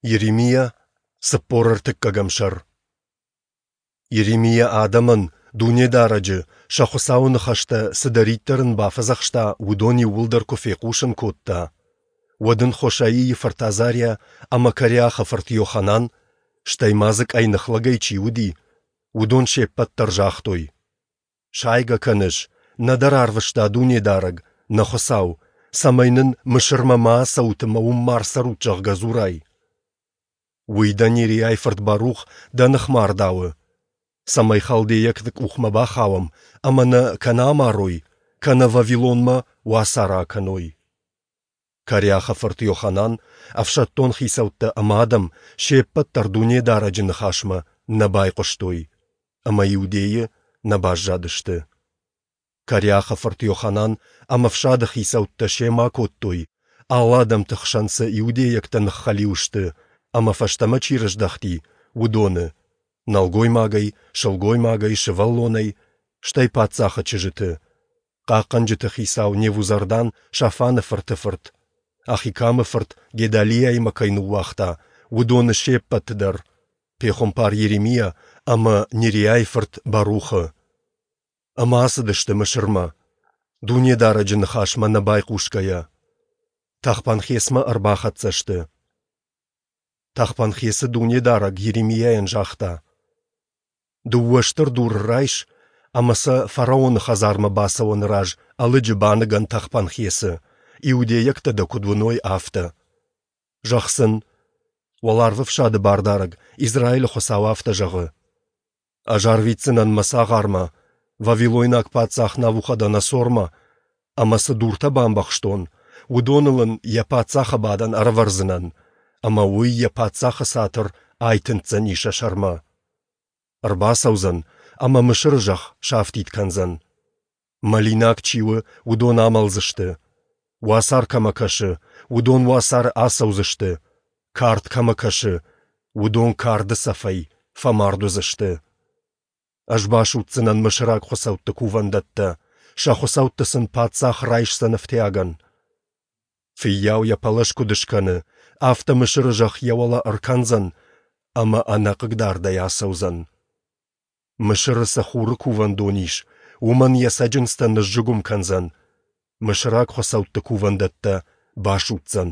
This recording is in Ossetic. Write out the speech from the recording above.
Йеремиа, 43 сӕр. Йеремиа адӕмӕн, Дунедарӕджы, сӕ Хуыцауы ныхӕстӕ, цыдӕриддӕр ын бафӕдзӕхста, уыдон иууылдӕр куы фехъусын кодта, уӕд ын Хошаийы фырт Азариа ӕмӕ Кареахы фырт Йоханан, стӕй ма дзы къӕйных лӕгӕй чи уыди, уыдон се ппӕт дӕр загътой: Сайгӕ кӕныс, нӕ дӕ рарвыста Дунедарӕг, нӕ Хуыцау, цӕмӕй нын Мысырмӕ ма ацӕут ӕмӕ уым ма рцӕрут, зӕгъгӕ, дзурай. Уый дӕ Нериайы фырт Барух дӕ ныхмӕ ардауы, цӕмӕй халдейӕгты къухмӕ бахауӕм ӕмӕ нӕ кӕнӕ амарой, кӕнӕ Вавилонмӕ уацары акӕной. Кареахы фырт Йоханан, ӕфсӕддон хицӕуттӕ ӕмӕ адӕм се ппӕт дӕр Дунедарӕджы ныхасмӕ нӕ байхъуыстой ӕмӕ Иудейы нӕ баззадысты. Кареахы фырт Йоханан ӕмӕ ӕфсады хицӕуттӕ семӕ акодтой, алы адӕмты хсӕн цы иудейӕгтӕ ныххӕлиу сты ӕмӕ фӕстӕмӕ чи рыздӕхти, уыдоны, нӕлгоймагӕй, сылгоймагӕй, сывӕллонӕй, стӕй паддзахы чызджыты, хъахъхъӕнджыты хицау Невузардан Шафаны фырты фырт, Ахикамы фырт Гедалиаимӕ кӕй ныууагъта, уыдоны се ппӕты дӕр, пехуымпар Йеремиа ӕмӕ Нериайы фырт Барухы. Ӕмӕ ацыдысты Мысырмӕ, Дунедарӕджы ныхасмӕ нӕ байхъусгӕйӕ. Тахпанхесмӕ ӕрбахӕццӕ сты. Тахпанхесы Дунедарӕг Йеремиайӕн загъта: Дыууӕ стыр дуры райс ӕмӕ сӕ фараоны хӕдзармӕ бацӕуӕны раз ӕлыджы баныгӕн Тахпанхесы, иудейӕгтӕ дӕ куыд уыной, афтӕ. Зӕгъ сын, Уӕларвӕфсады Бардарӕг, Израилы Хуыцау афтӕ зӕгъы: Ӕз арвитдзынӕн мӕ цагъармӕ, вавилойнаг паддзах Навуходоносормӕ, ӕмӕ цы дуртӕ бамбӕхстон, уыдоныл ын йӕ паддзахы бадӕн ӕрӕвӕрдзынӕн, ӕмӕ уый йӕ паддзахы цатыр айтындздзӕни сӕ сӕрмӕ. Ӕрбацӕудзӕн ӕмӕ Мысыры зӕхх сафтид кӕндзӕн. Мӕлинаг чи у, уыдон амӕлдзысты. Уацар кӕмӕ кӕсы, уыдон уацары ацӕудзысты. Кард кӕмӕ кӕсы, уыдон карды цӕфӕй фӕмард уыдзысты. Ӕз басудздзынӕн мысыраг хуыцӕутты кувӕндӕттӕ, сӕ хуыцӕутты сын паддзах райсдзӕн ӕфтиагӕн. Фыййау йӕ пӕлӕз куыд скӕны, афтӕ Мысыры зӕхх йӕ уӕлӕ ӕркӕндзӕн ӕмӕ ӕнӕхъыгдардӕй ацӕудзӕн. Мысыры цы Хуры кувӕндон ис, уымӕн йӕ цӕджындзтӕ ныззыгуым кӕндзӕн, мысыраг хуыцӕутты кувӕндӕттӕ басудздзӕн.